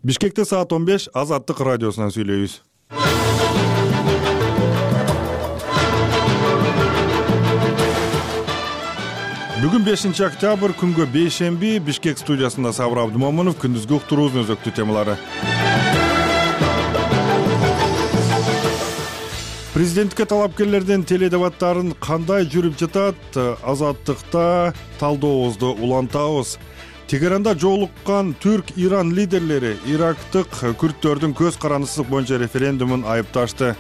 Бишкекте саат 15 Азаттык радиосунан сүйлөйбүз. Бүгүн 5 октябрь күнгө бейшемби. Бишкек студиясында Сабыр Абдымомунов. Күндүзгү уктуруубуздун өзөктүү темалары. Президенттикке талапкерлердин теледебаттарын кандай жүрүп жатат? Азаттыкта талдообузду улантабыз. Тегеранда жолуккан Түрк-Иран лидерлери ирактык күрттөрдүн көз карандысыздык боюнча референдумун айыпташты.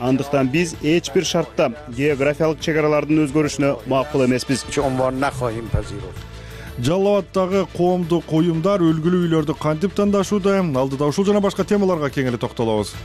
Андыктан биз эч бир шартта географиялык чек аралардын өзгөрүшүнө макул эмеспиз. Жалал Абаддагы коомдук уюмдар өлгүлүү үйлөрдү кантип тандашууда? Алдыда ушул жана башка темаларга кеңири токтолобуз.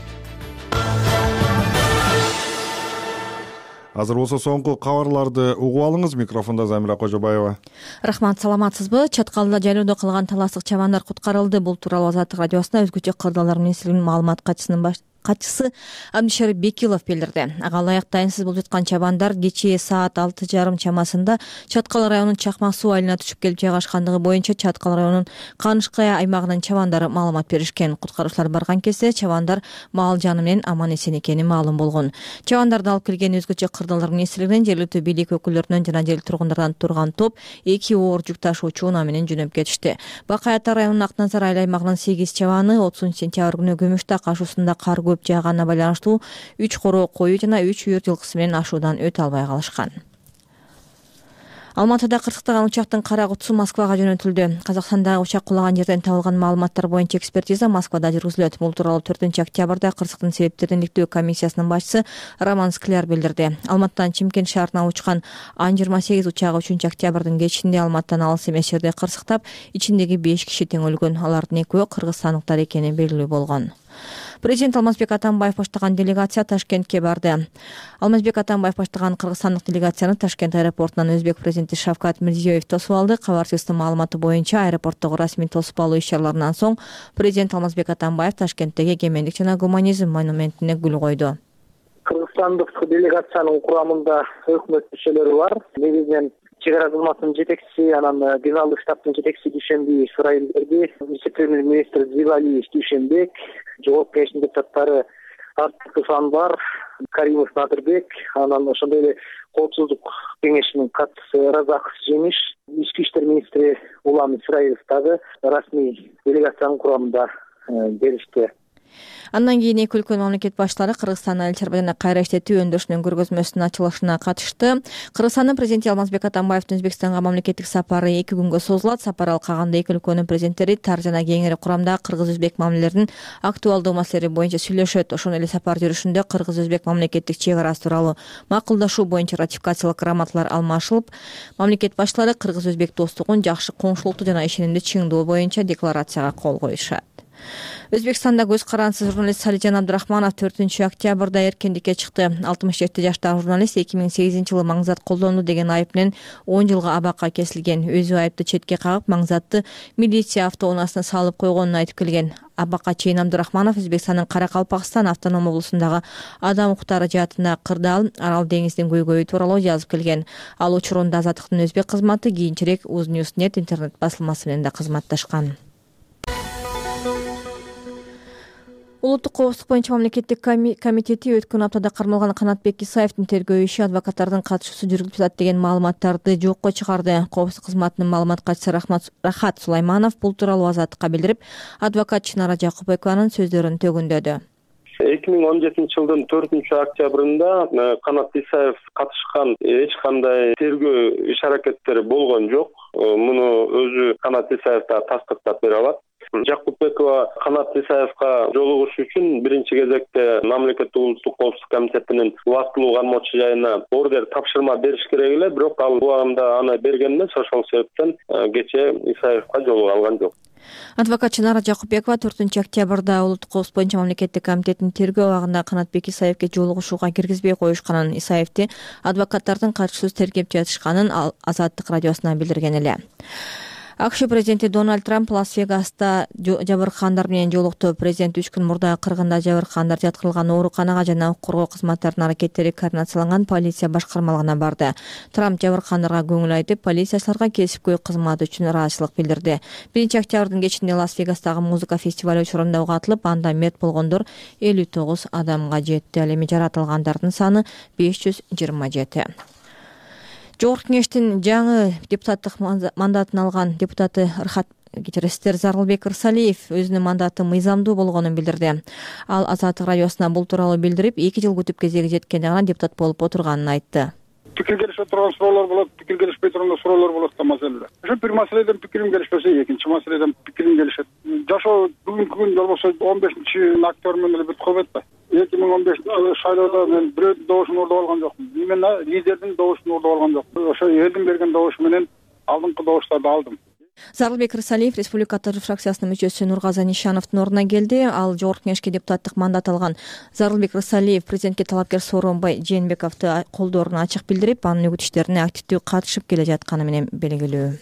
Азыр болсо соңку кабарларды угуп алыңыз. Микрофондо Замира Кожобаева. Рахмат, саламатсызбы? Чаткалда жайлоодо калган таластык чабандар куткарылды. Бул тууралуу Азаттык радиосуна өзгөчө кырдаалдар министрлигинин маалымат катчысы Абдишарип Бекилов билдирди. Ага ылайык дайынсыз болуп жаткан чабандар кечээ саат 6:30 чамасында Чаткал районунун Чакмак суу айылына түшүп келип жайгашкандыгы боюнча Чаткал районунун Канышкая аймагынын чабандары маалымат беришкен. Куткаруучулар барган кезде чабандар мал жаны менен аман эсен экени маалым болгон. Чабандарды алып келген өзгөчө кырдаалдар министрлигинин жергиликтүү бийлик өкүлдөрүнөн жана жергиликтүү тургундардан турган топ 2 оор жүк ташуучу унаа менен жөнөп кетишти. Бакай Ата районунун Акназар айыл аймагынын 8 чабаны 30 сентябрь күнү Көмүштак ашуусунда кар көп жаагана байланыштуу 3 короо кою жана 3 үйүр жылкысы менен ашуудан өтө албай калышкан. Алматыда кырсыктаган учактын кара кутусу Москвага жөнөтүлдү. Казакстандагы учак кулаган жерден табылган маалыматтар боюнча экспертиза Москвада жүргүзүлөт. Бул тууралуу 4 октябрда кырсыктын себептерин иликтөө комиссиясынын башчысы Роман Скляр билдирди. Алматыдан Чимкент шаарына учкан Ан-28 учагы 3 октябрдын кечинде Алматыдан алыс эмес жерде кырсыктап, ичиндеги 5 киши тең өлгөн. Алардын экөө кыргызстандыктар экени белгилүү болгон. Президент Алмазбек Атамбаев баштаган делегация Ташкентке барды. Алмазбек Атамбаев баштаган кыргызстандык делегацияны Ташкент аэропортунан өзбек президенти Шавкат Мирзиёев тосуп алды. Кабарчылыктын маалыматы боюнча аэропорттогу расмий тосуп алуу иш-чараларынан соң президент Алмазбек Атамбаев Ташкенттеги эгемендик жана гуманизм монументине гүл койду. Кыргызстандык делегациянын курамында өкмөт мүчөлөрү бар. Негизинен чек ара кызматынын жетекчиси, анан генералдык штабтын жетекчиси Дүйшенбиев Исраил Берди, вице-премьер-министр Зивалиев Дүйшенбек, жогорку кеңештин депутаттары Артыков Анвар, Каримов Надырбек, анан ошондой эле коопсуздук кеңешинин катчысы Разаков Жемиш, ички иштер министри Улам Исраилов дагы расмий делегациянын курамында келишти. Андан кийин эки өлкөнүн мамлекет башчылары Кыргызстандын Аль-Чарбадана кайра иштетүү өндүрүшүнүн көргөзмөсүнүн ачылышына катышты. Кыргызстандын президенти Алмазбек Атамбаевдин Өзбекстанга мамлекеттик сапары 2 күнгө созулат. Сапар алкагында эки өлкөнүн президенттери тар жана кеңири курамдагы кыргыз-өзбек мамилелеринин актуалдуу маселелери боюнча сүйлөшөт. Ошондой эле сапар жүрүшүндө кыргыз-өзбек мамлекеттик чек арасы тууралуу макулдашуу боюнча ратификациялык грамоталар алмашылып, мамлекет башчылары кыргыз-өзбек достугун жакшы коңшулукту жана ишенимди чыңдоо боюнча декларацияга кол коюшат. Өзбекстанда көз карандысыз журналист Салижан Абдрахманов 4 октябрда эркиндикке чыкты. 67 жаштагы журналист 2008-жылы маңзат колдонду деген айып менен 10 жылга абакка кесилген. Өзү айыпты четке кагып, маңзатты милиция автоунаасына салып койгонун айтып келген. Абакка чейин Абдрахманов Өзбекстандын Каракалпакстан автоном облусундагы адам укуктары жаатында кырдаал, Арал деңизинин көйгөйү тууралуу жазып келген. Ал учурунда Азаттыктын өзбек кызматы, кийинчерээк Uznewsnet интернет басылмасы менен да кызматташкан. Улуттук коопсуздук боюнча мамлекеттик комитети өткөн аптада кармалган Канатбек Исаевдин тергөө иши адвокаттардын катышуусу жүргүзүлүп жатат деген маалыматтарды жокко чыгарды. Коопсуздук кызматынын маалымат катчысы Рахат Сулайманов бул тууралуу Азаттыкка билдирип, адвокат Чынара Жакупбекованын сөздөрүн төгүндөдү. 2017-жылдын 4 октябрында Канат Исаев катышкан эч кандай тергөө иш-аракеттери болгон жок. Муну өзү Канат Исаев да тастыктап бере алат. Жакупбекова Канат Исаевка жолугуш үчүн биринчи кезекте мамлекеттик улуттук коопсуздук комитетинин убактылуу кармоочу жайына ордер тапшырма бериш керек эле, бирок ал убагында аны берген эмес. Ошол себептен кечээ Исаевка жолуга алган жок. Адвокат Чынара Жакупбекова 4 октябрда улуттук коопсуздук боюнча мамлекеттик комитеттин тергөө абагында Канатбек Исаевке жолугушууга киргизбей коюшканын, Исаевди адвокаттардын катышуусуз тергеп жатышканын Азаттык радиосуна билдирген эле. АКШ президенти Дональд Трамп Лас-Вегаста жабыркагандар менен жолукту. Президент 3 күн мурда кыргында жабыркагандар жаткырылган ооруканага жана укук коргоо кызматтарынын аракеттери координацияланган полиция башкармалыгына барды. Трамп жабыркагандарга көңүл айтып, полициячыларга кесипкөй кызмат үчүн ыраазычылык билдирди. 1-октябрдын кечинде Лас-Вегастагы музыка фестиваль учурунда катылып, анда мерт болгондор 59 адамга жетти. Ал эми жаратылгандардын саны 527. Жогорку кеңештин жаңы депутаттык мандатын алган депутаты Зарылбек Ырсалиев өзүнүн мандаты мыйзамдуу болгонун билдирди. Ал Азаттык радиосуна бул тууралуу билдирип, 2 жыл күтүп кезеги жеткенде гана депутат болуп отурганын айтты. Пикир келишпей турган суроолор болот, пикир келишпей турган суроолор болот да маселелер. Ошо бир маселеден пикирим келишпесе, экинчи маселеден пикирим келишет. Жашоо бүгүнкү күн болбосо 15-октябрь менен эле бүтүп калбайт да. 2015 шайлоодо мен бирөөдүн добушун уурдап алган жокмун. Именно лидердин добушун уурдап алган жокмун. Ошо элдин берген добушу менен алдыңкы добуштарды алдым. Зарылбек Ырсалиев Республика фракциясынын мүчөсү Нургаза Нишановдун ордуна келди. Ал жогорку кеңешке депутаттык мандат алган Зарылбек Ырсалиев президентке талапкер Сооронбай Жээнбековду колдооруна ачык билдирип, анын үгүт иштерине активдүү катышып келе жатканы менен белгилүү.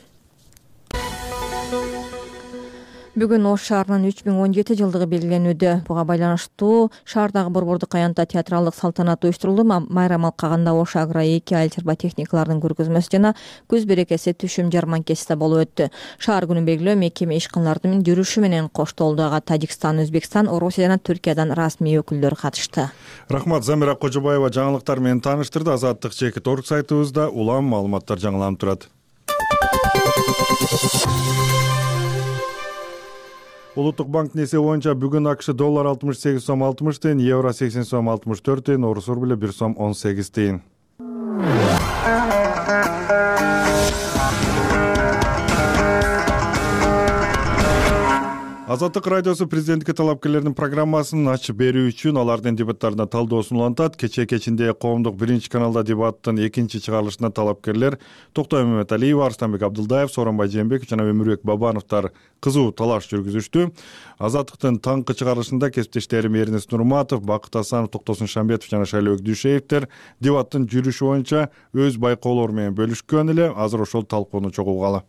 Бүгүн Ош шаарынын 3017 жылдыгы белгиленүүдө. Буга байланыштуу шаардагы Борбордук аянтта театралдык салтанат уюштурулду. Майрам алкагында Ош Агро 2 айыл чарба техникалардын көргөзмөсү жана көз берекеси түшүм жарманкеси да болуп өттү. Шаар күнүн белгилөө мекеме ишканалардын жүрүшү менен коштолду. Ага Тажикстан, Өзбекстан, Орусия жана Түркиядан расмий өкүлдөр катышты. Рахмат, Замира Кожобаева жаңылыктар менен тааныштырды. Азаттык Чекит.орг сайтыбызда улам маалыматтар жаңыланып турат. Улуттук банк несие боюнча бүгүн АКШ доллар 68 сом 60 тыйын, евро 80 сом 64 тыйын, орус рубль 1 сом 18 тыйын. Азаттык радиосу президенттикке талапкерлердин программасын ачып берүү үчүн алардын дебаттарына талдоосун улантат. Кечинде коомдук 1-каналда дебаттын 2 чыгарылышына талапкерлер Токтой Маматалиева, Арстанбек Абдылдаев, Сооронбай Жээнбеков жана Өмүрбек Бабановдор кызуу талаш жүргүзүштү. Азаттыктын таңкы чыгарылышында кесиптештерим Эрнест Нурматов, Бакыт Асанов, Токтосун Шамбетов жана Шайлообек Дүйшеевдер дебаттын жүрүшү боюнча өз байкоолору менен бөлүшкөн эле. Азыр ошол талкууну чогулгалы.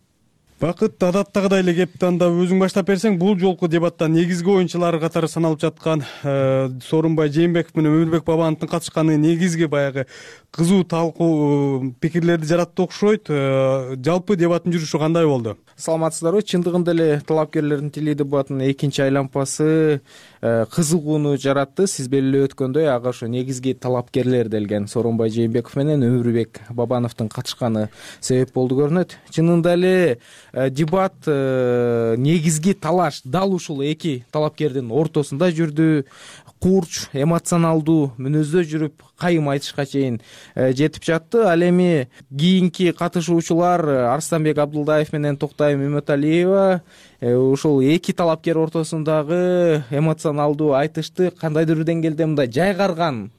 Бакыт, адаттагыдай эле кепти анда өзүң баштап берсең, бул жолку дебатта негизги оюнчулар катары саналып жаткан Сооронбай Жээнбеков менен Өмүрбек Бабановдун катышканы негизги баягы кызуу талкуу пикирлерди жаратты окшойт. Жалпы дебаттын жүрүшү кандай болду? Саламатсыздарбы? Чындыгында эле талапкерлердин тили дебатынын 2 айлампасы кызыгууну жаратты. Сиз белгилеп өткөндөй, ага ошо негизги талапкерлер делген Сооронбай Жээнбеков менен Өмүрбек Бабановдун катышканы себеп болду көрүнөт. Чынында эле дебат негизги талаш дал ушул 2 талапкердин ортосунда жүрдү. Курч, эмоционалдуу мүнөздө жүрүп, кайым айтышка чейин жетип жатты. Ал эми кийинки катышуучулар Арстанбек Абдылдаев менен Токтой Маматалиева ушул 2 талапкер ортосундагы эмоционалдуу айтышты кандайдыр бир деңгээлде мындай жайгарган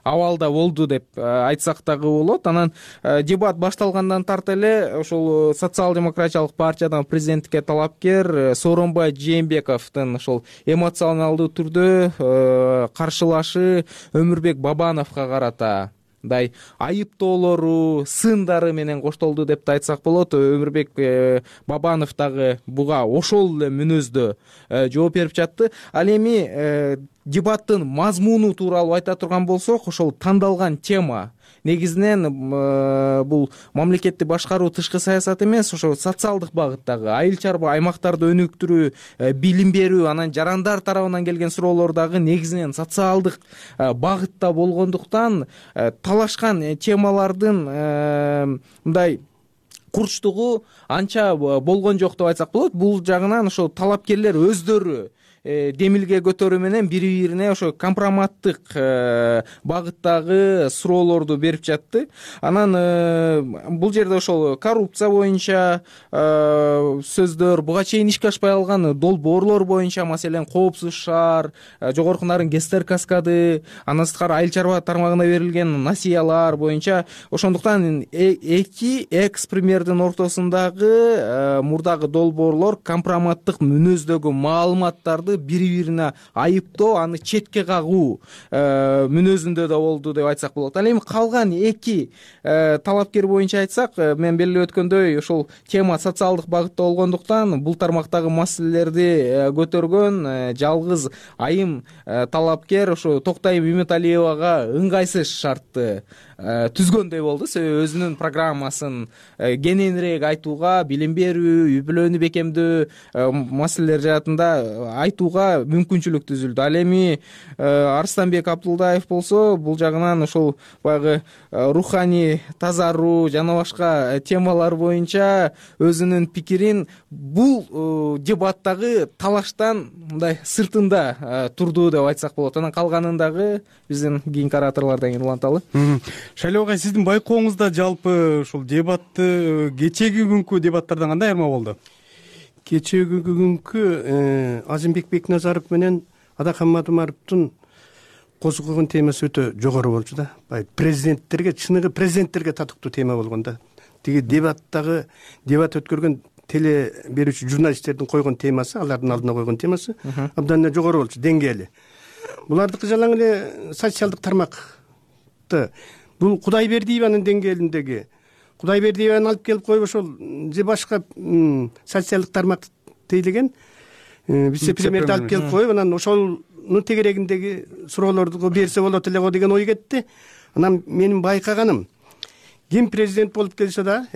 абалда болду деп айтсак дагы болот. Анан дебат башталгандан тарта эле ошол социал-демократиялык партиядан президенттикке талапкер Сооронбай Жээнбековдун ошол эмоционалдуу түрдө каршылашы Өмүрбек Бабановго карата мындай айыптоолору, сындары менен коштолду деп да айтсак болот. Өмүрбек Бабанов дагы буга ошол эле мүнөздө жооп берип жатты. Ал эми дебаттын мазмуну тууралуу айта турган болсок, ошол тандалган тема негизинен бул мамлекетти башкаруу, тышкы саясат эмес, ошо социалдык багыттагы айыл чарба аймактарды өнүктүрүү, билим берүү, анан жарандар тарабынан келген суроолор дагы негизинен социалдык багытта болгондуктан талашкан темалардын мындай курчтугу анча болгон жок деп айтсак болот. Бул жагынан ошо талапкерлер өздөрү демилге көтөрүү менен бири-бирине ошо компроматтык багыттагы суроолорду берип жатты. Анан бул жерде ошол коррупция боюнча сөздөр, буга чейин ишке ашпай калган долбоорлор боюнча, маселен коопсуз шаар, жогорку нарын ГЭСтер каскады, андан сырткары айыл чарба тармагына берилген насыялар боюнча. Ошондуктан 2 экс-премьердин ортосундагы мурдагы долбоорлор компроматтык мүнөздөгү маалыматтарды депутаттарды бири бирине айыптоо, аны четке кагуу мүнөзүндө да болду деп айтсак болот. Ал эми калган эки талапкер боюнча айтсак, мен белгилеп өткөндөй ошол тема социалдык багытта болгондуктан бул тармактагы маселелерди көтөргөн жалгыз айым талапкер ошо Токтайым Үмүталиевага ыңгайсыз шартты түзгөндөй болду. Себеби өзүнүн программасын кененирээк айтууга, билим берүү, үй бүлөнү бекемдөө маселелер жаатында айтууга мүмкүнчүлүк түзүлдү. Ал эми Арстанбек Абдулдаев болсо бул жагынан ошол баягы руханий тазаруу жана башка темалар боюнча өзүнүн пикирин бул дебаттагы талаштан мындай сыртында турду деп айтсак болот. Анан калганын дагы биздин кийинки ораторлордон кийин уланталы. Шайлоо агай, сиздин байкооңузда жалпы ушул дебатты кечеги күнкү дебаттардан кандай айырма болду? Кечеги күнкү Азимбек Бекназаров менен Адакан Мадумаровдун козгогон темасы өтө жогору болчу да. Президенттерге, чыныгы президенттерге татыктуу тема болгон да. Тиги дебат өткөргөн теле берүүчү журналисттердин койгон темасы, алардын алдына койгон темасы абдан эле жогору болчу деңгээли. Булардыкы жалаң эле социалдык тармакты. Бул Кудайбердиеванын деңгээлиндеги Кудайбердиеваны алып келип коюп ошол же башка социалдык тармакты тейлеген вице-премьерди алып келип коюп, анан ошонун тегерегиндеги суроолорду берсе болот эле го деген ой кетти. Анан менин байкаганым, ким президент болуп келсе да,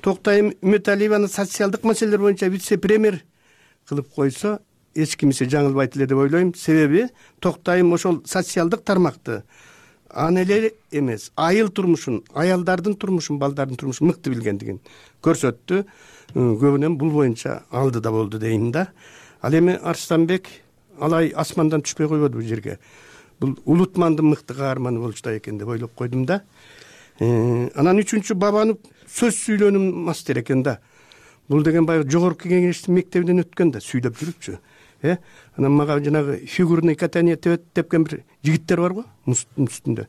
Токтайым Үмүталиеваны социалдык маселелер боюнча вице-премьер кылып койсо, эч кимиси жаңылбайт эле деп ойлойм. Себеби Токтайым ошол социалдык тармакты аны эле эмес, айыл турмушун, аялдардын турмушун, балдардын турмушун мыкты билгендигин көрсөттү. Көбүнөн бул боюнча алды да болду дейм да. Ал эми Арстанбек алай асмандан түшпөй койбоду бул жерге. Бул улутмандын мыкты каарманы болчу да экен деп ойлоп койдум да. Анан үчүнчү Бабанов сөз сүйлөнүү мастер экен да. Бул деген баягы жогорку кеңештин мектебинен өткөн да, сүйлөп жүрүпчү. Анан мага жанагы фигурный катание тепкен бир жигиттер бар го, мустун үстүндө.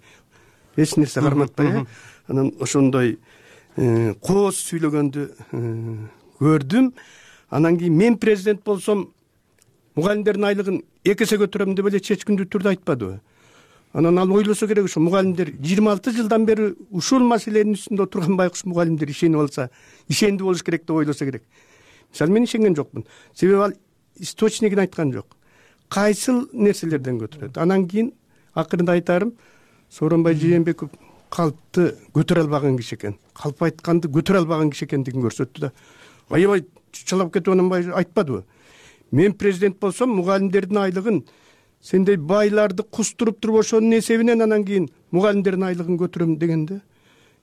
Эч нерсе карматпай, анан ошондой кооз сүйлөгөндү көрдүм. Анан кийин мен президент болсом, мугалимдердин айлыгын 2 эсе көтөрөм деп эле чечкиндүү түрдө айтпадыбы? Анан ал ойлосо керек, ошо мугалимдер 26 жылдан бери ушул маселенин үстүндө отурган байкуш мугалимдер ишенип алса, ишендүү болуш керек деп ойлосо керек. Мисалы мен ишенген жокмун. Себеби ал источнигин айткан жок. Кайсыл нерселерден көтөрөт. Анан кийин акырында айтарым, Сооронбай Жээнбеков калпты көтөрө албаган киши экен. Калп айтканды көтөрө албаган киши экендигин көрсөттү да. Аябай чалап кетип анан айтпадыбы? Мен президент болсом, мугалимдердин айлыгын сендей байларды кустуруп туруп ошонун эсебинен анан кийин мугалимдердин айлыгын көтөрөм дегенде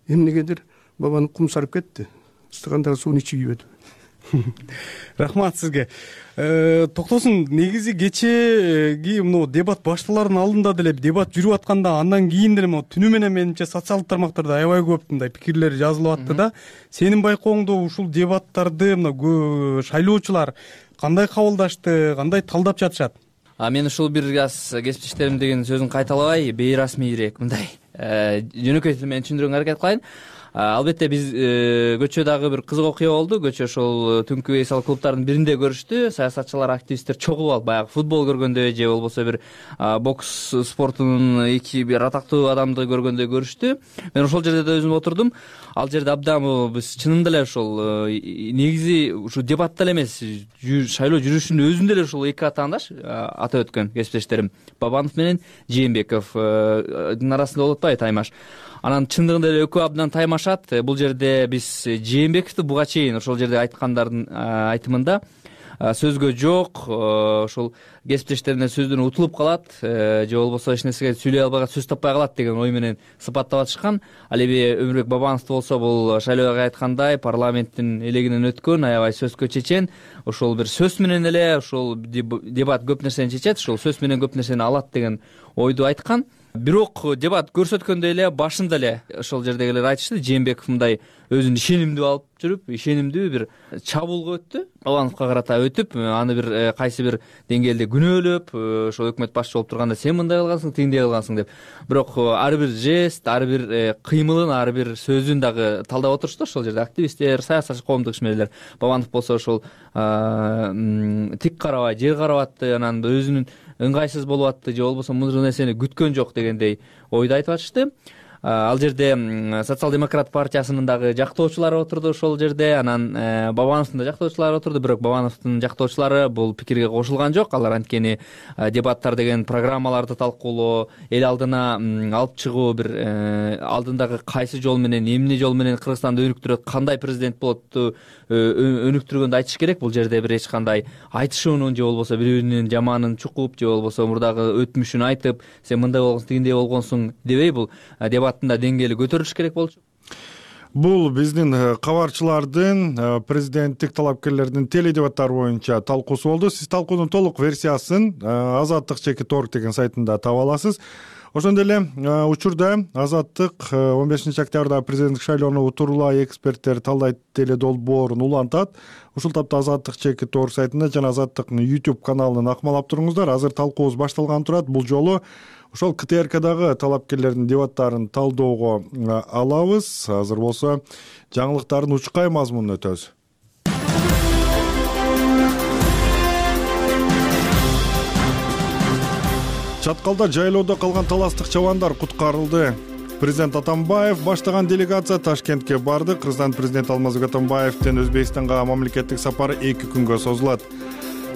эмнегедир Бабанов кумсарып кетти. Ыстыгандагы сууну ичип ийбеди. Рахмат сизге. Токтосун, негизи кечеги мына дебат башталардын алдында деле дебат жүрүп атканда, андан кийин деле түнү менен менимче социалдык тармактарда аябай көп мындай пикирлер жазылып атты да. Сенин байкооңдо ушул дебаттарды мына шайлоочулар кандай кабылдашты, кандай талдап жатышат? Мен ушул бир аз кесиптештерим деген сөзүн кайталабай, бейрасмийирээк мындай жөнөкөй тил менен түшүндүрүүгө аракет кылайын. Албетте биз көчө дагы бир кызык окуя болду. Көчө ошол түнкү эсал клубтардын биринде көрүштү. Саясатчылар, активисттер чогулуп алып, баягы футбол көргөндөй же болбосо бир бокс спортунун эки бир атактуу адамды көргөндөй көрүштү. Мен ошол жерде да өзүм отурдум. Ал жерде абдан биз чынында эле ошол негизи ушу дебатта эле эмес, шайлоо жүрүшүнүн өзүндө эле ушул эки атаандаш атап өткөн кесиптештерим Бабанов менен Жээнбековдун арасында болуп атпайбы таймаш. Анан чындыгында эле экөө абдан таймашат. Бул жерде биз Жээнбековду буга чейин ошол жерде айткандардын айтымында сөзгө жок, ошол кесиптештерине сөздөн утулуп калат же болбосо эч нерсеге сүйлөй албай сөз таппай калат деген ой менен сыпаттап атышкан. Ал эми Өмүрбек Бабановду болсо бул шайлоого айткандай парламенттин элегинен өткөн, аябай сөзгө чечен, ошол бир сөз менен эле ошол дебат көп нерсени чечет, ошол сөз менен көп нерсени алат деген ойду айткан. Бирок дебат көрсөткөндөй эле башында эле ошол жердегилер айтышты, Жээнбеков мындай өзүн ишенимдүү алып жүрүп ишенимдүү бир чабуулга өттү. Бабановго карата өтүп, аны бир кайсы бир деңгээлде күнөөлөп, ошол өкмөт башчы болуп турганда сен мындай кылгансың, тигиндей кылгансың деп. Бирок ар бир жест, ар бир кыймылын, ар бир сөзүн дагы талдап отурушту ошол жерде активисттер, саясатчы, коомдук ишмерлер. Бабанов болсо ошол тик карабай, жер карап атты, анан өзүнүн ыңгайсыз болуп атты, же болбосо мындай нерсени күткөн жок дегендей ойду айтып атышты. Ал жерде социал-демократ партиясынын дагы жактоочулары отурду ошол жерде, анан Бабановдун да жактоочулары отурду, бирок Бабановдун жактоочулары бул пикирге кошулган жок. Алар анткени дебаттар деген программаларды талкуулоо, эл алдына алып чыгуу, бир алдындагы кайсы жол менен, эмне жол менен Кыргызстанды өнүктүрөт, кандай президент болотту өнүктүргөндү айтыш керек. Бул жерде бир эч кандай айтышуунун же болбосо бирөөнүн жаманын чукуп, же болбосо мурдагы өтмүшүн айтып, сен мындай болгонсуң, тигиндей болгонсуң дебей, бул дебаттын деңгээли көтөрүлүш керек болчу. Бул биздин кабарчылардын президенттик талапкерлердин теледебаттары боюнча талкуусу болду. Сиз талкуунун толук версиясын azattik.org деген сайтында таба аласыз. Ошондой эле учурда Азаттык 15 октябрда президенттик шайлоону утурлай эксперттер талдайт теле долбоорун улантат. Ушул тапта azattik.org сайтында жана Азаттыктын YouTube каналын акмалап туруңуздар. Азыр талкуубуз башталган турат. Бул жолу ошол КТРКдагы талапкерлердин дебаттарын талдоого алабыз. Азыр болсо жаңылыктардын учкай мазмунун өтөбүз. Чаткалда жайлоодо калган таластык чабандар куткарылды. Президент Атамбаев баштаган делегация Ташкентке барды. Кыргызстан президенти Алмазбек Атамбаевдин Өзбекстанга мамлекеттик сапары 2 күнгө созулат.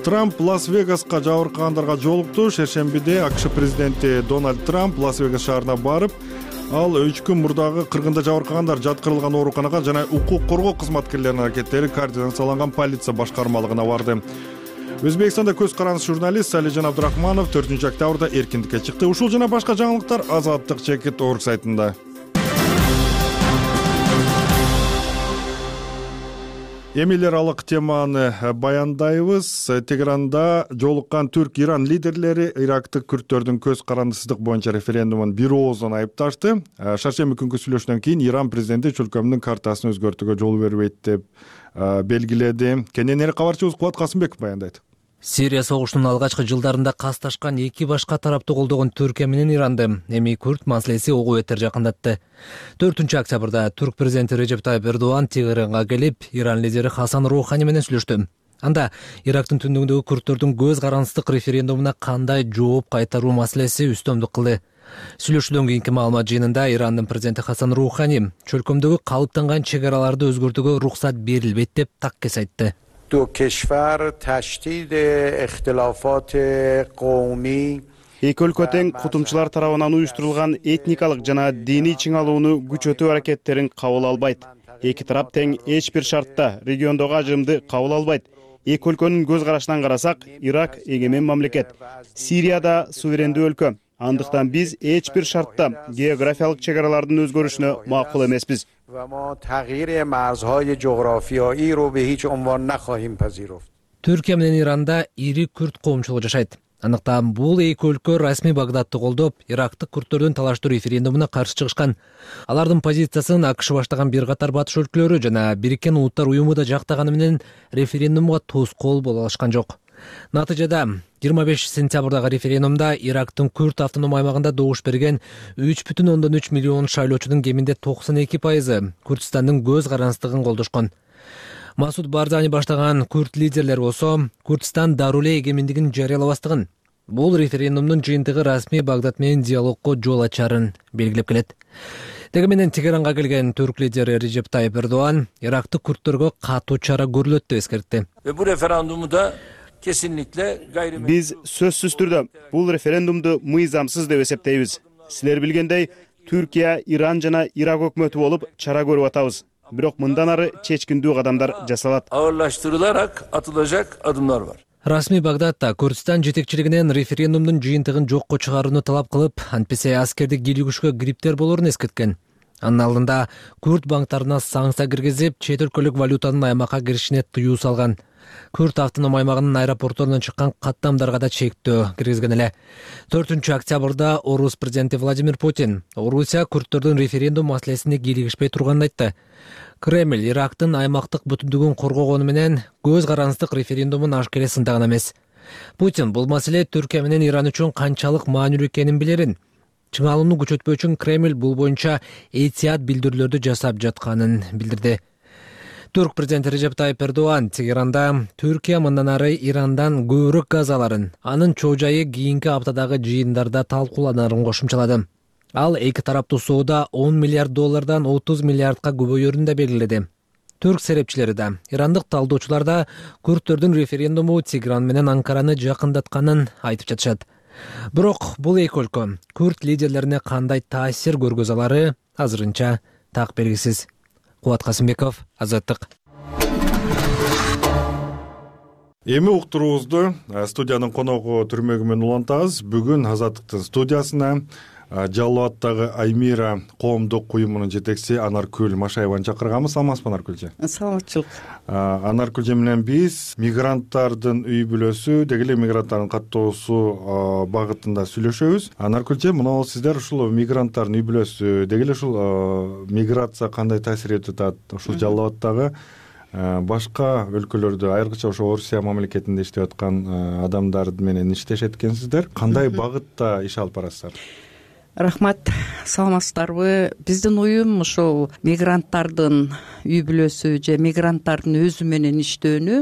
Трамп Лас-Вегаска жабыркагандарга жолукту. Шершембиде АКШ президенти Дональд Трамп Лас-Вегас шаарына барып, ал 3 күн мурдагы кыргында жабыркагандар жаткырылган ооруканага жана укук коргоо кызматкерлеринин аракеттери координацияланган полиция башкармалыгына барды. Өзбекстанда көз карандысы журналист Салижан Абдрахманов 4 октябрда эркиндикке чыкты. Ушул жана башка жаңылыктар azattik.org сайтында. Эмилер алык теманы баяндайбыз. Тегеранда жолуккан Түрк-Иран лидерлери Ирактык күрттөрдүн көз карандысыздык боюнча референдумун бир ооздон айыпташты. Шаршемби күнгү сүйлөшүүдөн кийин Иран президенти чөлкөмдүн картасын өзгөртүүгө жол бербейт деп белгиледи. Кененери кабарчыбыз Кубат Касымбеков баяндайт. Сирия согушунун алгачкы жылдарында касташкан эки башка тарапты колдогон Түркия менен Иранды эми күрт маселеси огу бетер жакындатты. 4 октябрда Түрк президенти Режеп Тайып Эрдоган Тегеранга келип, Иран лидери Хасан Роухани менен сүйлөштү. Анда Ирактын түндүгүндөгү күрттөрдүн көз карандысыздык референдумуна кандай жооп кайтаруу маселеси үстөмдүк кылды. Сүйлөшүүдөн кийинки маалымат жыйынында Ирандын президенти Хасан Роухани чөлкөмдөгү калыптанган чек араларды өзгөртүүгө уруксат берилбейт деп таккес айтты. Эки өлкө тең кутумчулар тарабынан уюштурулган этникалык жана диний чыңалууну күчөтүү аракеттерин кабыл албайт. Эки тарап тең эч бир шартта региондогу ажырымды кабыл албайт. Эки өлкөнүн көз карашынан карасак, Ирак эгемен мамлекет, Сирия да суверендүү өлкө. Андыктан биз эч бир шартта географиялык чек аралардын өзгөрүшүнө макул эмеспиз. Түркия менен Иранда ири күрт коомчулугу жашайт. Андыктан бул эки өлкө расмий Багдадты колдоп, Ирактык күрттөрдүн талаштуу референдумуна каршы чыгышкан. Алардын позициясын АКШ баштаган бир катар батыш өлкөлөрү жана Бириккен Улуттар уюму да жактаганы менен референдумга тоскоол боло алышкан жок. Натыйжада 25 сентябрдагы референдумда Ирактын Күрт автоном аймагында добуш берген 3,3 миллион шайлоочунун кеминде 92% Күртстандын көз карандысыздыгын колдошкон. Масуд Барзани баштаган күрт лидерлер болсо, Күртстан даруле эгемендигин жарыялабастыгын, бул референдумдун жыйынтыгы расмий Багдад менен диалогко жол ачарын белгилеп келет. Деги менен Тегеранга келген түрк лидери Режеп Тайып Эрдоган Ирактык күрттөргө катуу чара көрүлөт деп эскертти. Бу референдумда биз сөзсүз түрдө бул референдумду мыйзамсыз деп эсептейбиз. Силер билгендей, Түркия, Иран жана Ирак өкмөтү болуп чара көрүп атабыз. Бирок мындан ары чечкиндүү кадамдар жасалат. Ağırlaştırılarak atılacak adımlar var. Расмий Багдадта Күртстан жетекчилигинен референдумдун жыйынтыгын жокко чыгарууну талап кылып, антпесе аскердик кийлигишке кириптер болорун эскерткен. Анын алдында күрд банктарына санкция киргизип, чет өлкөлүк валютанын аймакка киришине тыюу салган. Күрд автоном аймагынын аэропортторунан чыккан каттамдарга да чектөө киргизген эле. 4-октябрда Орус президенти Владимир Путин Орусия күрдтөрдүн референдум маселесине кийлигишпей турганын айтты. Кремль Ирактын аймактык бүтүндүгүн коргогону менен көз карандык референдумун ашкере сындаган эмес. Путин бул маселе Түркия менен Иран үчүн канчалык маанилүү экенин билерин. Чыңалууну күчөтпөө үчүн Кремль бул боюнча этият билдирүүлөрдү жасап жатканын билдирди. Түрк президенти Режеп Тайип Эрдоган Тегеранда Түркия мындан ары Ирандан көбүрөөк газ аларын, анын чоо жайы кийинки аптадагы жыйындарда талкууланарын кошумчалады. Ал эки тараптуу соодо $10 миллиард $30 миллиардка көбөйөрүн да белгиледи. Түрк серепчилери да, ирандык талдоочулар да күрдтөрдүн референдуму Тегеран менен Анкараны жакындатканын айтып жатышат. Бирок бул эки өлкө күрд лидерлерине кандай таасир көргөзө алары азырынча так белгисиз. Кубат Касымбеков, Азаттык. Эми уктуруубузду студиянын коногу Түрмөгүмөн улантабыз. Бүгүн Азаттыктын студиясына Жалал-Абадтагы Аймира коомдук уюмунун жетекчиси Анаркүл Машаеваны чакырганбыз. Саламатсызбы, Анаркүл? Саламатчылык. Анаркүл менен биз мигранттардын үй бүлөсү, деги эле мигранттардын каттоосу багытында сүйлөшөбүз. Анаркүл, мына сиздер ушул мигранттардын үй бүлөсү, деги эле ушул миграция кандай таасир этип атат ушул Жалал-Абадтагы башка өлкөлөрдө, айрыкча ошо Орусия мамлекетинде иштеп аткан адамдар менен иштешет экенсиздер. Кандай багытта иш алып барасыздар? Рахмат, саламатсыздарбы? Биздин уюм ошол мигранттардын үй бүлөсү же мигранттардын өзү менен иштөөнү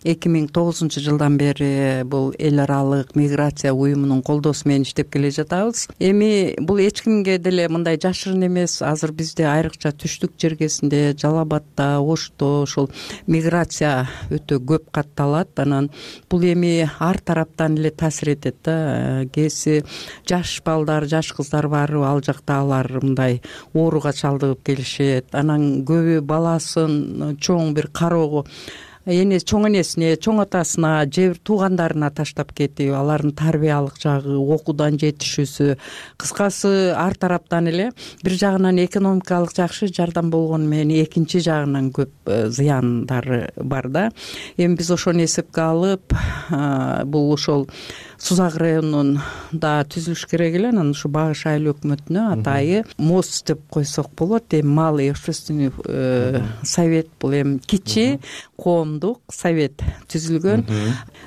2009 жылдан бери бул эл аралык миграция уюмунун колдоосу менен иштеп келе жатабыз. Эми бул эч кимге деле мындай жашырын эмес. Азыр бизде айрыкча түштүк жергесинде, Жалал-Абадта, Ошто ошол миграция өтө көп катталат. Анан бул эми ар тараптан эле таасир этет да. Кээси жаш балдар, жаш кыздар бар, ал жакта алар мындай ооруга чалдыгып келишет. Анан көбү баласын чоң бир кароого чоң энесине, чоң атасына же бир туугандарына таштап кетип, алардын тарбиялык жагы, окуудан жетишүүсү, кыскасы ар тараптан эле бир жагынан экономикалык жакшы жардам болгону менен экинчи жагынан көп зыяндары бар да. Эми биз ошону эсепке алып, бул ошол Сузак районунун да түзүлүш керек эле. Анан ушу Багыш айыл өкмөтүнө атайы МОЗ деп койсок болот. Эми малый общественный совет, бул эми кичи коомдук совет түзүлгөн.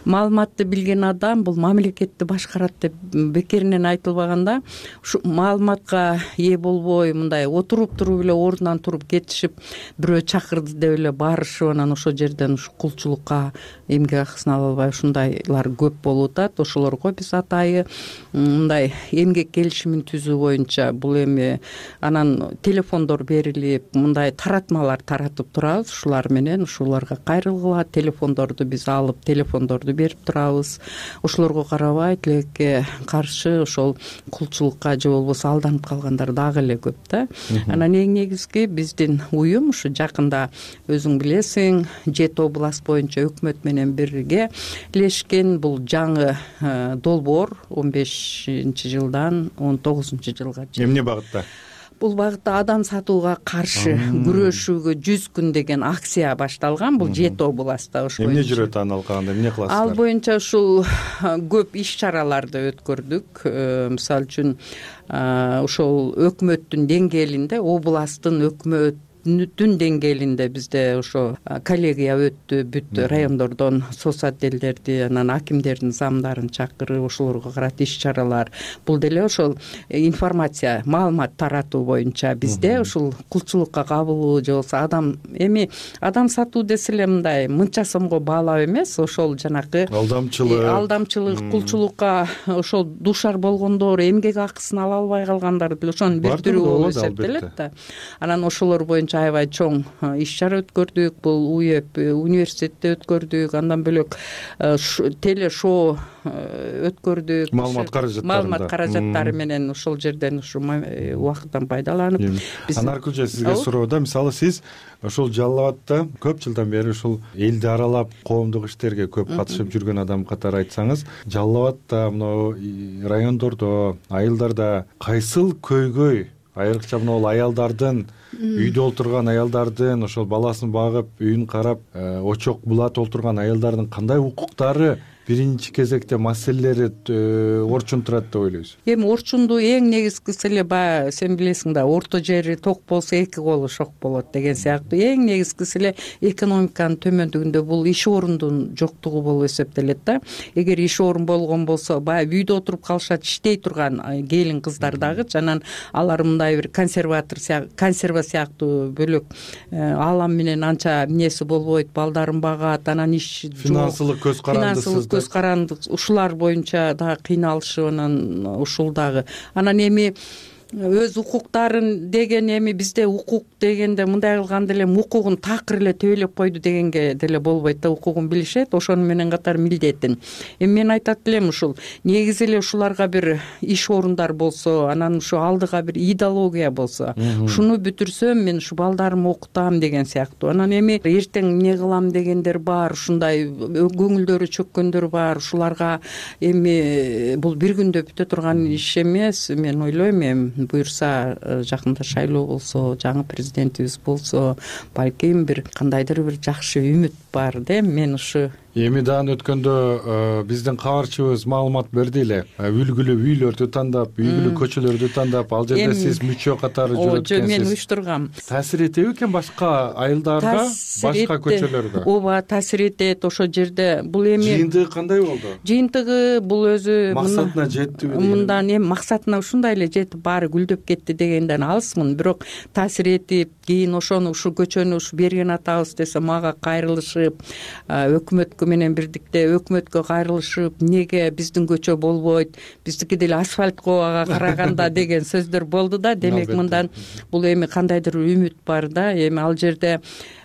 Маалыматты билген адам бул мамлекетти башкарат деп бекеринен айтылбаганда, ушу маалыматка ээ болбой мындай отуруп туруп эле ордунан туруп кетишип, бирөө чакырды деп эле барышып, анан ошол жерден ушу кулчулукка эмгек акысын ала албай ушундайлар көп болуп атат. Ошолорго биз атайы мындай эмгек келишимин түзүү боюнча бул эми анан телефондор берилип, мындай таратмалар таратып турабыз. Ушулар менен ушуларга кайрылгыла телефондорду биз алып, телефондорду берип турабыз. Ошолорго карабай тилекке каршы ошол кулчулукка же болбосо алданып калгандар дагы эле көп да. Анан эң негизги биздин уюм ушу жакында өзүң билесиң, Жет область боюнча өкмөт менен бирге илешкен бул жаңы долбоор 15-жылдан 19-жылга. Эмне багытта? Бул багытта адам сатууга каршы күрөшүүгө 100 күн деген акция башталган. Бул Жет областта ошо. Эмне жүрөт аны алганда, эмне кыласыздар? Ал боюнча ушул көп иш-чараларды өткөрдүк. Мисалы үчүн ошол өкмөттүн деңгээлинде, областтын өкмөт деңгээлинде бизде ошо коллегия өттү. Бүт райондордон соц отделдерди, анан акимдердин замдарын чакырып, ошолорго карата иш-чаралар. Бул деле ошол информация, маалымат таратуу боюнча бизде ушул кулчулукка кабылуу же болбосо адам сатуу десе эле мындай мынча сомго баалап эмес, ошол жанакы алдамчылык, кулчулукка ошол дуушар болгондор, эмгек акысын ала албай калгандар деле ошонун бир түрү болуп эсептелет да. Анан ошолор боюнча аябай чоң иш-чара өткөрдүк. Бул УЕП университетте өткөрдүк. Андан бөлөк телешоу өткөрдүк. Маалымат каражаттары менен ошол жерден ушу убакыттан пайдаланып. Анаркүл, сизге суроо да, мисалы сиз ошол Жалал-Абадта көп жылдан бери ушул элди аралап коомдук иштерге көп катышып жүргөн адам катары айтсаңыз, Жалал-Абадта, мына райондордо, айылдарда кайсыл көйгөй айрыкча мына бул аялдардын, үйдө олтурган аялдардын, ошол баласын багып, үйүн карап, очок булат олтурган аялдардын кандай укуктары биринчи кезекте маселелери орчун турат деп ойлойсуз? Эми орчунду эң негизгиси эле баягы сен билесиң да, орто жери ток болсо эки колу шок болот деген сыяктуу эң негизгиси эле экономиканын төмөндүгүндө бул иш орундун жоктугу болуп эсептелет да. Эгер иш орун болгон болсо, баягы үйдө отуруп калышат, иштей турган келин кыздар дагычы, анан алар мындай бир консерва сыяктуу бөлөк аалам менен анча эмнеси болбойт, балдарын багат, анан иш финансылык көз карандысыз, көз карандык, ушулар боюнча дагы кыйналышып, анан ушул дагы. Анан эми өз укуктарын деген, эми бизде укук дегенде мындай кылганда эле укугун такыр эле төбөлөп койду дегенге деле болбойт да, укугун билишет, ошону менен катар милдетин. Эми мен айтат элем, ушул негизи эле ушуларга бир иш орундар болсо, анан ушу алдыга бир идеология болсо, ушуну бүтүрсөм мен ушу балдарымды окутам деген сыяктуу. Анан эми эртең эмне кылам дегендер бар, ушундай көңүлдөрү чөккөндөр бар, ушуларга эми бул бир күндө бүтө турган иш эмес. Мен ойлойм, эми буюрса жакында шайлоо болсо, жаңы президентибиз болсо, балким бир кандайдыр бир жакшы үмүт бар да. Мен ушу эми даан өткөндө биздин кабарчыбыз маалымат берди эле, үлгүлүү үйлөрдү тандап, үлгүлүү көчөлөрдү тандап, ал жерде сиз мүчө катары жүрөт экенсиз. Мен уюштургам. Таасир этеби экен башка айылдарга, башка көчөлөргө? Ооба, таасир этет. Ошол жерде бул эми жыйынтыгы кандай болду? Жыйынтыгы бул өзү максатына жеттиби? Мындан эми максатына ушундай эле жетип, баары гүлдөп кетти дегенден алысмын. Бирок таасир этип, кийин ошону ушу көчөнү ушу берген атабыз десе мага кайрылышып, өкмөткө менен бирдикте өкмөткө кайрылышып, неге биздин көчө болбойт, биздики деле асфальткага караганда деген сөздөр болду да. Демек мындан бул эми кандайдыр үмүт бар да. Эми ал жерде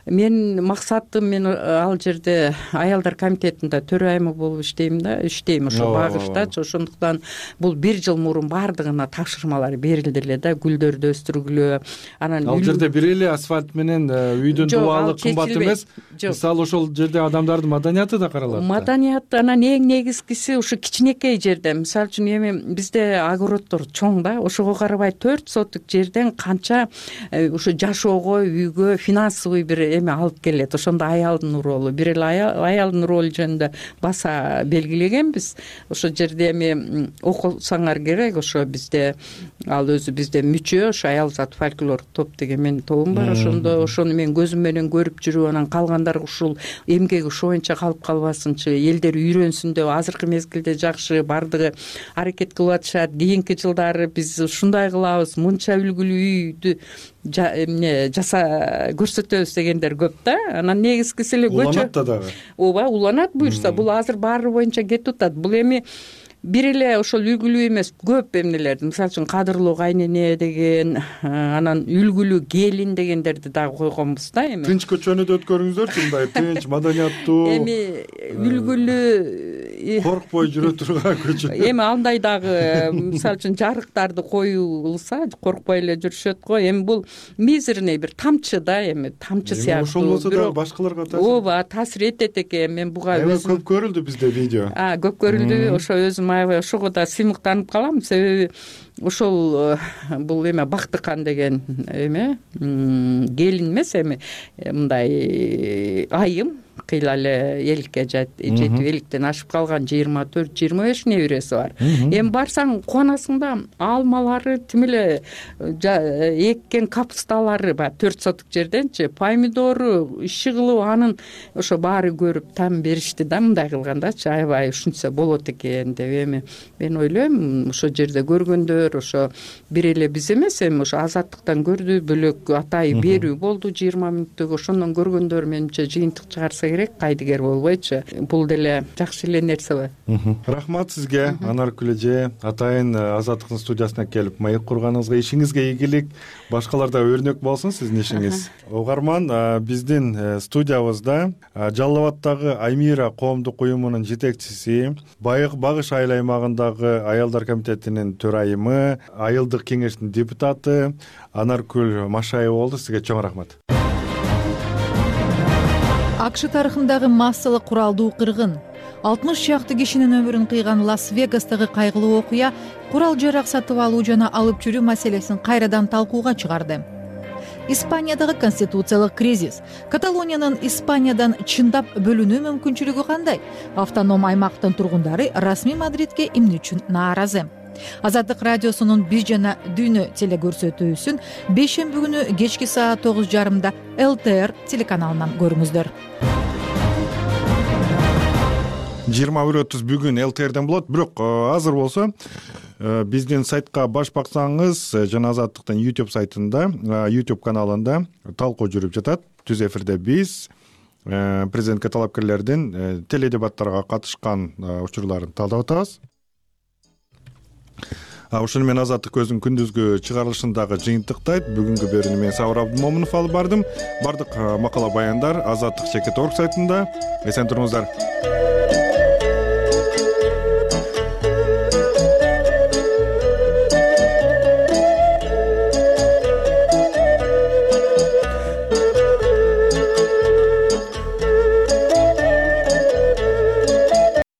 мен максатым, мен ал жерде аялдар комитетинде төрайымы болуп иштейм ошо багыштачы. Ошондуктан бул бир жыл мурун баардыгына тапшырмалар берилди эле да, гүлдөрдү өстүргүлө. Анан ал жерде бир эле асфальт менен үйдүн дубалы кымбат эмес. Мисалы ошол жерде адамдардын маданияты да каралат. Маданияты, анан эң негизгиси ушу кичинекей жерде, мисалы үчүн эми бизде огороддор чоң да, ошого карабай 4 соток жерден канча ушу жашоого, үйгө финансовый бир эми алып келет. Ошондо аялдын ролу, бир эле аялдын ролу жөнүндө баса белгилегенбиз. Ошол жерде эми окусаңар керек, ошо бизде ал өзү бизде мүчө, ошо аялзат фольклор топ деген менин тобум бар. Ошону мен көзүм менен көрүп жүрүп, анан калгандар ушул эмгеги ошоюнча калып калбасынчы, элдер үйрөнсүн деп азыркы мезгилде жакшы бардыгы аракет кылып атышат. Кийинки жылдары биз ушундай кылабыз, мынча үлгүлүү үйдү жаса көрсөтөбүз дегендер көп да. Анан негизгиси эле көчө уланат да дагы. Ооба, уланат буюрса. Бул азыр баары боюнча кетип атат. Бул эми бир эле ошол үлгүлүү эмес, көп эмнелерди, мисалы үчүн кадырлуу кайнене деген, анан үлгүлүү келин дегендерди дагы койгонбуз да. Эми тынч көчөнү да өткөрүңүздөрчү, мындай тынч, маданияттуу, эми үлгүлүү, коркпой жүрө турган көчө. Эми андай дагы мисалы үчүн жарыктарды коюлса коркпой эле жүрүшөт го. Эми бул мизерный бир тамчы да, эми тамчы сыяктуу. Ошол болсо да башкаларга таасир. Ооба, таасир этет экен. Мен буга өзүм көп көрүлдү бизде видео. Көп көрүлдү. Ошо өзүм ошого да сыймыктанып калам, себеби ошол бул эме Бактыкан деген эме келин эмес, эми мындай айым кыйла эле эликке жетип, эликтен ашып калган 24-25 небереси бар. Эми барсаң кубанасың да, алмалары тим эле эккен капусталары бар 4 соток жерденчи, помидору, иши кылып анын ошо баары көрүп там беришти да, мындай кылгандачы, аябай ушунча болот экен деп. Эми мен ойлойм, ошо жерде көргөндөр ошо бир эле биз эмес, эми ошо Азаттыктан көрдү, бөлөк атайы берүү болду 20 мүнөттүк. Ошондон көргөндөр менимче жыйынтык чыгарса керек, кайдыгер болбойчу. Бул деле жакшы эле нерсе. Рахмат сизге, Анаркүл эже, атайын Азаттыктын студиясына келип маек курганыңызга, ишиңизге ийгилик, башкаларда өрнөк болсун сиздин ишиңиз. Угарман, биздин студиябызда Жалал Абаддагы Аймира коомдук уюмунун жетекчиси, Багыш айыл аймагындагы аялдар комитетинин төрайымы, айылдык кеңештин депутаты Анаркүл Машаева болду. Сизге чоң рахмат. АКШ тарыхындагы массалык куралдуу кыргын. 60 чакты кишинин өмүрүн кыйган Лас-Вегастагы кайгылуу окуя курал жарак сатып алуу жана алып жүрүү маселесин кайрадан талкууга чыгарды. Испаниядагы конституциялык кризис. Каталониянын Испаниядан чындап бөлүнүү мүмкүнчүлүгү кандай? Автоном аймактын тургундары расмий Мадридке эмне үчүн нааразы? Азаттык радиосунун Биз жана Дүйнө телекөрсөтүүсүн бейшемби күнү кечки саат 9:30 ЛТР телеканалынан көрүңүздөр. 21:30 бүгүн ЛТРден болот. Бирок азыр болсо биздин сайтка баш баксаңыз жана Азаттыктын YouTube сайтында, YouTube каналында талкуу жүрүп жатат. Түз эфирде биз президентке талапкерлердин теледебаттарга катышкан учурларын талдап атабыз. Ошону менен Азаттык өзүнүн күндүзгү чыгарылышындагы жыйынтыктайт. Бүгүнкү берүүнү мен Сабыр Абдымомунов алып бардым. Бардык макала баяндар Азаттык.org сайтында. Эсен туруңуздар.